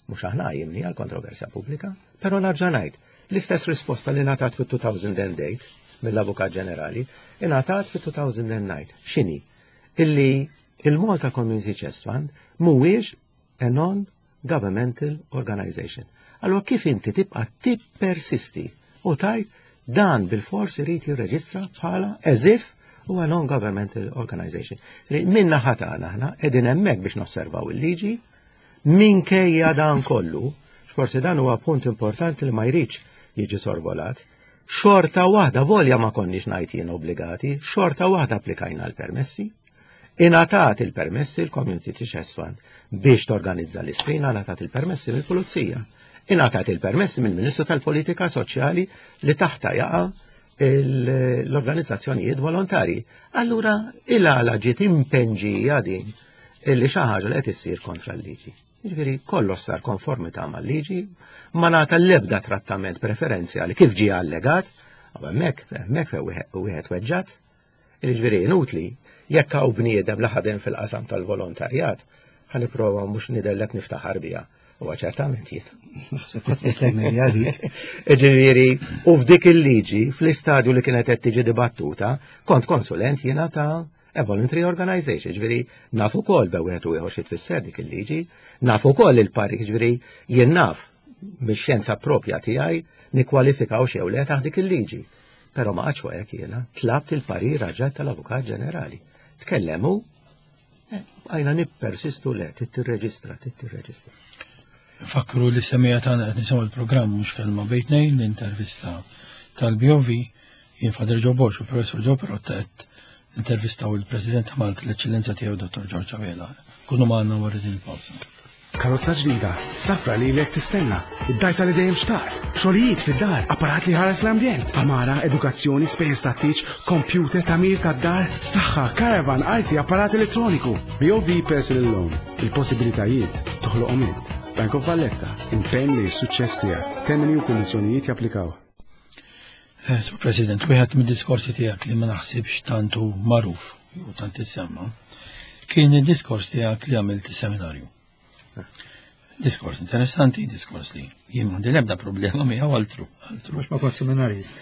Mhux aħna jimni għal kontroversja pubblika, però narġa' ngħid, l-istess risposta li ngħatat fit-2008 mill-Avukat Ġenerali, ingħatat fit-2009. X'inhi? Illi il-Malta Community Chest Fund mhuwiex a non-governmental organization. Allora kif inti tibqa' tippersisti u tajt dan bil-fors irid jirreġistra bħala as if huwa non-governmental organization. Minna ħatana aħna qegħdin hemmhekk biex nosservaw il-liġi, minkejja dan kollu, forsi dan huwa punt importanti li ma jridx jiġi sorvolat, xorta waħda volja ma konniex ngħid jien obbligati, xorta waħda applikajna l-permessi, Ingħatat il-permessi l-Community Chest Fund biex torganizza l-istrina, ingħatat il-permessi mill-Pulizija. Ingħatat il-permessi mill-Ministru tal-Politika Soċjali li taħta jaqa' l-organizzazzjonijiet volontari. Allura il-għala ġiet impenġija din illi xi ħaġa li qed issir kontra l-liġi. Jiġifieri kollox sar konformità mal-liġi, ma ngħata l-ebda trattament preferenzjali kif ġie allegat, u hemmhekk hemmhekk fejn wieħed weġġat, Jiġifieri inutli, jekk hawn bniedem li ħadem fil-qasam tal-volontarjat, ħa nipprova mhux nidher qed niftaħar biha. Huwa ċertament jien. Naħseb ħadd jista' jmerja dik. Ġifieri, u f'dik il-liġi, fl-istadju li kienet qed tiġi dibattuta, kont konsulent jiena ta' a voluntary organization, ġifieri naf ukoll be wieħed u ieħor xi tfisser dik il-liġi, naf ukoll il-pari, ġifieri jien naf mix-xjenza propja tiegħi nikkwalifikaw xew le taħt dik il-liġi. Però ma qgħadx fuq hekk jiena, tlabt il-parir raġel tal-Avukat Ġenerali. Tkellem hu, eh, bqajna nippersistu le, trid tirreġistra, trid tirreġistra. Fakru li semija tagħna qed nisimgħu l-programm mhux kelma bejn tnejn l-intervista tal-BOV jien Fader Joe Borg u Professor Joe Perotta qed intervistaw il-President ta' Malta l-Eċċellenza tiegħu Dr. George Avela. Kunu magħna wara din il-pawsa. Karozza ġdida, safra li lek tistenna, id-dajsa li dejjem xtaqt, xogħlijiet fid-dar, apparat li ħares l-ambjent, amara, edukazzjoni, spejjeż tat-tieġ, computer, tagħmir tad-dar, saħħa, caravan, arti, apparat elettroniku. BOV Personal Loan, il-possibilitajiet toħloqhom int. Bank of Valletta, impenn li s-suċċess tiegħek. Termini u kundizzjonijiet japplikaw. Eh, Sur President, wieħed mid-diskorsi tiegħek li ma naħsibx tantu magħruf jew tant issemma, kien id-diskors tiegħek li għamilt is-seminarju. Diskors interessanti, diskors li jien m'għandi l-ebda problema miegħu altru. altru. Mhux ma kont seminarist.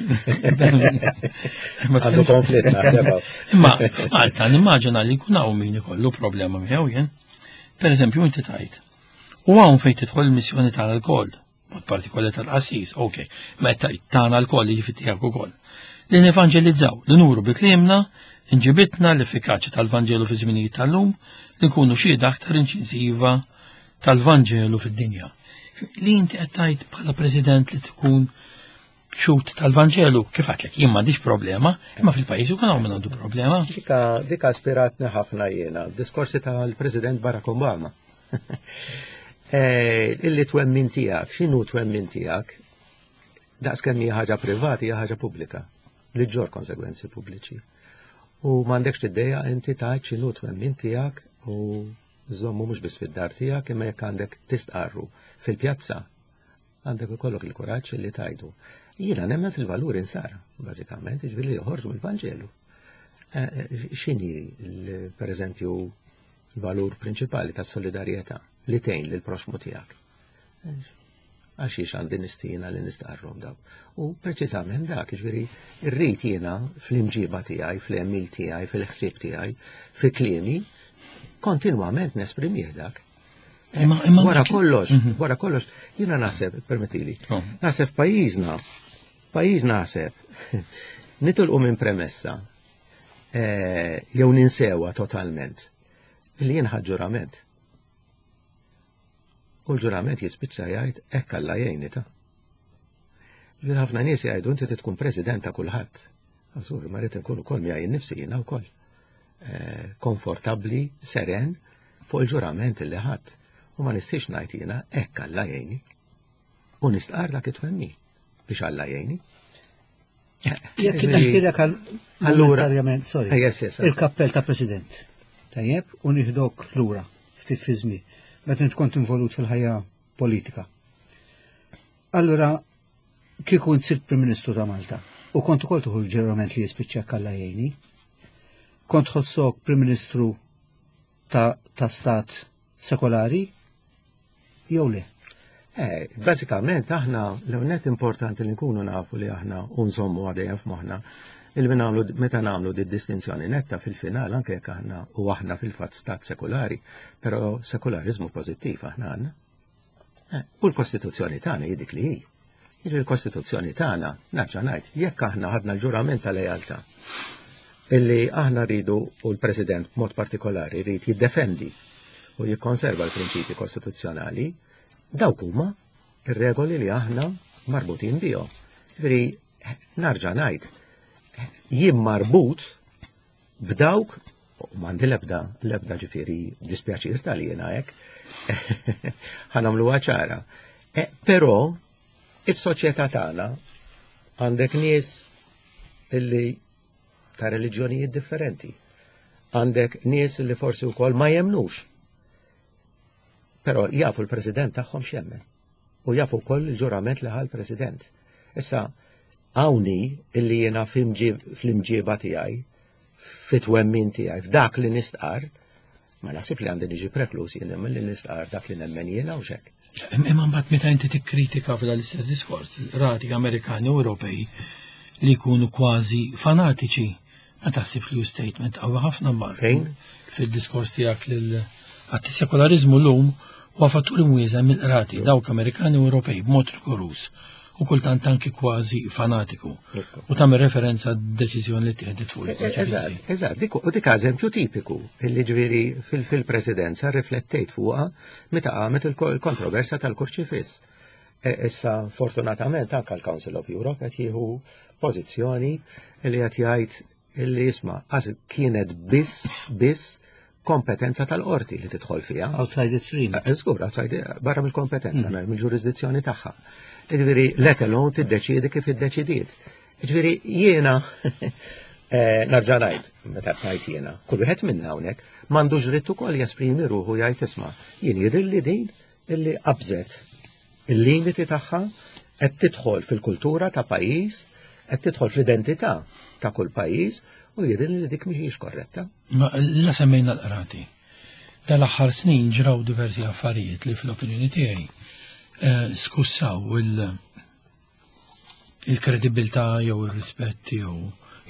Għandu konflitt naħseb. Imma f'Malta nimmaġina li jkun hawn min ikollu problema miegħu jien. Per eżempju, inti tajt. U hawn fejn tidħol il-missjoni tagħna lkoll, mod partikolari tal-qassis, ok, ma tagħna lkoll jiġifieri tiegħek ukoll. Li nevanġelizzaw, li nuru bi kliemna, inġibitna l-effikaċja tal-Vanġelu fi żminijiet tal-lum, li nkunu xhieda aktar inċiżiva tal-Vanġelu fid-dinja. Li inti qed tgħid bħala President li tkun xut tal-Vanġelu, kif għatlek, jien m'għandix problema, imma fil-pajjiż ukoll hawn min għandu problema. Dika, dika aspiratni ħafna jiena, diskorsi tal-President Barack Obama. Eh, illi twemmin tiegħek, x'inhu twemmin tiegħek? Daqs kemm hija ħaġa privata hija ħaġa pubblika li ġġor konsegwenzi pubbliċi. U m'għandekx tiddejja inti tgħid x'inhu twemmin tiegħek u żommu mhux biss fid-dar tiegħek imma jekk għandek tistqarru fil-pjazza għandek ikollok il-kuraġġ li tajdu. Jiena nemmen fil-valuri nsara, bażikament, jiġifieri li joħorġu mill-Vanġelu. Eh, eh, x'inhi, per eżempju, l-valur prinċipali tas solidarjetà li tgħin lil proxmu tiegħek? Eh, għax jiex għandi nistina li nistqarrhom dawk. U preċiżament dak, jiġifieri rrid jiena fl-imġiba tiegħi, fl-għemil tiegħi, fil-ħsieb tiegħi, fi kliemi, kontinwament nesprimih dak. Wara kollox, mhm. wara kollox, jiena naħseb, permettili, oh. naħseb pajjiżna, pajjiżna naħseb, nitolqu minn premessa, eh, jew ninsewa totalment, li jien ġurament. U l-ġurament jispiċċa jgħid hekk Alla jgħinni ta'. Ġifieri ħafna nies jgħidu inti tkun president ta' kulħadd. Għażur, ma rrid inkun ukoll miegħi nnifsi jiena wkoll. Eh, konfortabbli, seren fuq il-ġurament li ħadd. U ma nistax ngħid jiena hekk Alla jgħinni. U nistqar dak it-twemmin biex Alla jgħinni. Jekk inneħħilek għal allura sorry. Eh, il-kappell ta' president. Tajjeb, u nieħdok lura ftit fi żmien meta int kont involut fil-ħajja politika. Allura kieku int sirt Prim Ministru ta' Malta u kont ukoll tuħu l-ġerament li jispiċċa kalla jgħini, kont ħossok Prim Ministru ta', ta stat sekolari jew le? Eh, bażikament aħna l-net importanti li nkunu nafu li aħna unżommu għadejjem f'moħħna il nagħmlu meta nagħmlu di distinzjoni netta fil-final anke jekk aħna u aħna fil-fatt stat sekulari, però sekulariżmu pożittiv aħna għandna. Eh, u l-Kostituzzjoni tagħna hi dik li hi. Il-Kostituzzjoni tagħna, nerġa' ngħid, jekk aħna ħadna l-ġurament ta' lealtà illi aħna rridu u l-President b'mod partikolari rrid jiddefendi u jikkonserva l-prinċipi kostituzzjonali, dawk huma ir-regoli li aħna marbutin bihom. Ġifieri narġa' ngħid, jien marbut b'dawk m'għandi l-ebda l-ebda ġifieri dispjaċir tal jiena hekk. Ħanamluha ċara. E, però is-soċjetà tagħna għandek nies illi ta' reliġjonijiet differenti. Għandek nies li forsi wkoll ma jemnux. Però jafu l-president tagħhom x'jemmen. U jafu wkoll il-ġurament li ħal president. Issa, hawnhi illi jiena fl-imġiba tiegħi, fit-twemmin tiegħi, f'dak li nistqar, ma naħsib li għandi niġi prekluż jien li nistqar dak li nemmen jiena u xek. Imma mbagħad meta inti tikkritika f'dan l-istess diskors, rati Amerikani u Ewropej li jkunu kważi fanatiċi, ma taħsibx li hu statement qawwi ħafna mbagħad. Fejn? Fid-diskors tiegħek lil għat sekolarizmu llum huwa fattur imwieżen mill-qrati dawk Amerikani u Ewropej b'mod rigoruż u kultant anki kważi fanatiku. U tagħmel referenza deċiżjoni li tieħdet fuq il Eżatt, eżatt, dik u dik eżempju tipiku illi ġifieri fil-presidenza riflettejt fuqha meta qamet il-kontroversja tal-kurċifiss. E, issa fortunatament anke l-Council of Europe qed jieħu pożizzjoni li qed jgħid illi jisma' għaż kienet biss biss kompetenza tal-qorti li tidħol fiha. Outside its remit. Eh, żgur, outside, barra mill-kompetenza, mm. mill-ġurisdizzjoni tagħha. Jiġifieri let alone tiddeċiedi kif iddeċidiet. Jiġifieri jiena eh, narġa' ngħid, meta ngħid jiena, kull wieħed minna hawnhekk m'għandux dritt ukoll jesprimi ruħu jgħid isma' jien jidhirli din illi qabżet il-limiti tagħha qed tidħol fil-kultura ta' pajjiż, qed tidħol fl-identità ta' kull pajjiż u jidher li dik mhijiex korretta. Ma la semmejna l-qrati. Tal-aħħar snin ġraw diversi affarijiet li fl-opinjoni tiegħi eh, skussaw il- il-kredibilità jew ir-rispett jew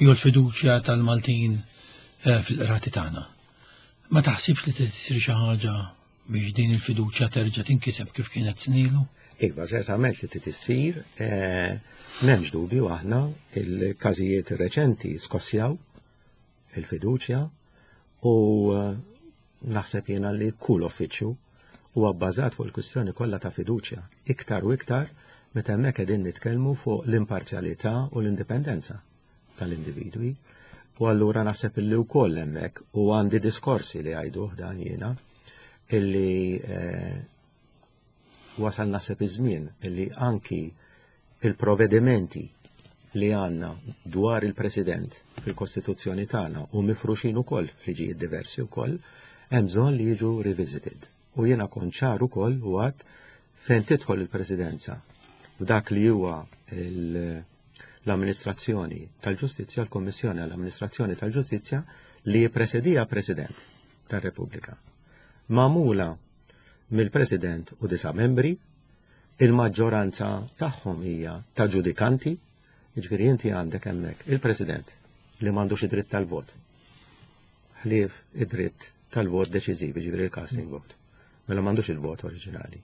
jew l-fiduċja tal-Maltin eh, fil-qrati tagħna. Ma taħsibx li trid issir xi ħaġa biex din il-fiduċja terġa' tinkiseb kif kienet snilu? Iva, ċertament li trid issir, eh, m'hemmx dubju aħna il-każijiet reċenti skossjaw il-fiduċja u eh, naħseb jiena li kull uffiċċju huwa bbażat fuq il-kwistjoni kollha ta' fiduċja, iktar u iktar meta hemmhekk qegħdin nitkellmu fuq l-imparzjalità u l-indipendenza tal-individwi. U allura naħseb illi wkoll hemmhekk u għandi diskorsi li għajduh dan jiena illi eh, wasal naħseb iż-żmien illi anki il-provedimenti li għanna dwar il-President fil-Kostituzzjoni tagħna u mifruxin ukoll f'liġijiet diversi wkoll, hemm bżonn li jiġu revisited. U jiena kont ċar ukoll u għad fejn tidħol il-Presidenza f'dak li huwa l-amministrazzjoni tal-ġustizzja, l-Kommissjoni għall-Amministrazzjoni tal-Ġustizzja li jippresedija President tar-Repubblika. Magħmula mill-President u disa' membri, il-maġġoranza tagħhom hija ta' ġudikanti, jiġifieri inti għandek hemmhekk il-President li m'għandux id-dritt tal-vot. Ħlief id-dritt tal-vot deċiżiv, jiġifieri il-casting vote. Mela m'għandux il-vot oriġinali.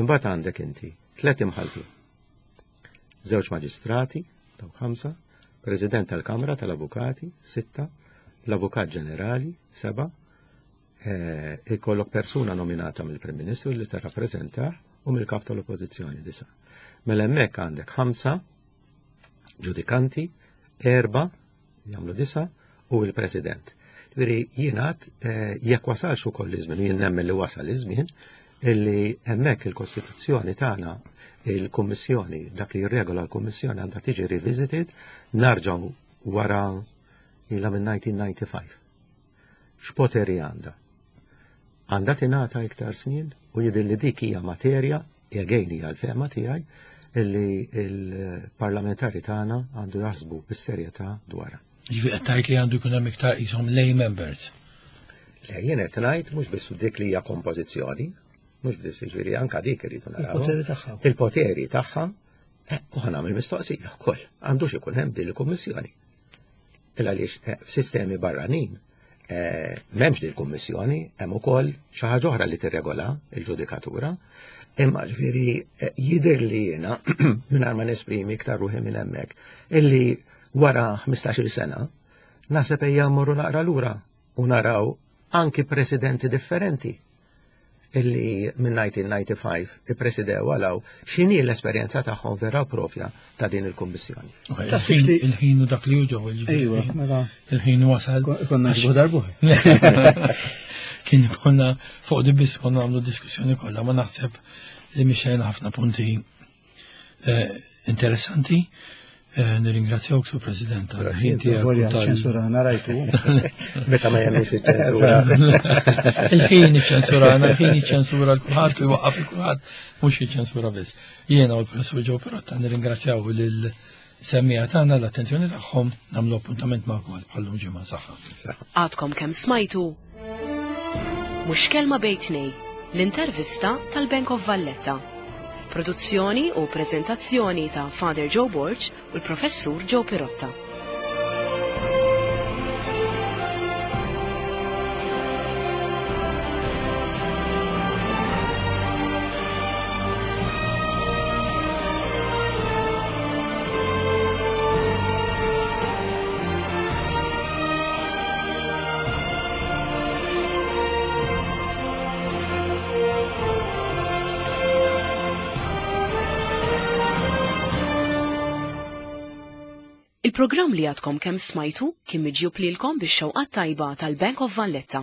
Imbagħad għandek inti tliet imħallfin. Żewġ maġistrati, dawk ħamsa, President tal-Kamra tal-Avukati, sitta, l-Avukat Ġenerali, seba, eh, ikollok persuna nominata mill-Prim Ministru li tirrappreżentah u mill-kap tal-Oppożizzjoni disa. Mela hemmhekk għandek ħamsa ġudikanti, erba' jagħmlu disa u l-President. Ġifieri jingħad eh, jekk wasalx ukoll iż-żmien, jien nemmen li wasal iż-żmien, illi hemmhekk il-Kostituzzjoni tagħna il-Kummissjoni, dak li jirregola l-Kummissjoni għandha tiġi revisited narġgħu wara ilha minn 1995. X'poteri għandha? Għandha tingħata iktar snin u jidher li dik hija materja, again hija l-fehma tiegħi, illi il-parlamentari tagħna għandu jaħsbu bis-serjetà dwarha. Ġifi qed tgħid li għandu jkun hemm iktar qishom lay members. Le jien qed ngħid mhux biss dik li hija kompożizzjoni, mhux biss jiġifieri anka dik irridu naraw. Il-poteri tagħha. Il-poteri tagħha, eh, u ħa nagħmel mistoqsija wkoll, għandux ikun hemm din il-kummissjoni. Il għaliex eh, f'sistemi barranin eh, m'hemmx din il-kummissjoni, hemm ukoll xi ħaġa oħra li tirregola il-ġudikatura. Imma ġifieri eh, jidher li jiena mingħajr ma nesprimi iktar ruħi minn hemmhekk illi wara 15-il sena naħseb ejja mmorru naqra lura u naraw anki presidenti differenti illi minn 1995 ippresidew għalaw x'inhi l-esperjenza tagħhom vera u propja ta' din il-kummissjoni. Il-ħin u dak li hu ġew Ejwa, mela. Il-ħin wasal. Konna ġbu darbu. Kien konna fuq di biss konna għamlu diskussjoni kollha, ma naħseb li mixejna ħafna punti eh, interessanti. Eh, nirringrazzjawk, Sur President, għal-ħin tiegħek. Ċensurana rajtu. Meta ma jagħmilx iċ-ċensura. Il-ħin iċ-ċensurana, il-ħin iċ-ċensura l-kulħadd u jwaqqaf il-kulħadd, mhux iċ-ċensura biss. Jiena u l-Professur Ġew Perotta nirringrazzjaw lil semmija tagħna l-attenzjoni tagħhom nagħmlu appuntament magħkom għal bħallum ġimgħa saħħa. Għadkom kemm smajtu mhux kelma bejtnej. l-intervista tal-Bank of Valletta. Produzzjoni u preżentazzjoni ta' Father Joe Borg u l-Professur Joe Pirotta. Il-programm li għadkom kemm smajtu kien miġjub lilkom bix-xewqat tajba tal-Bank of Valletta.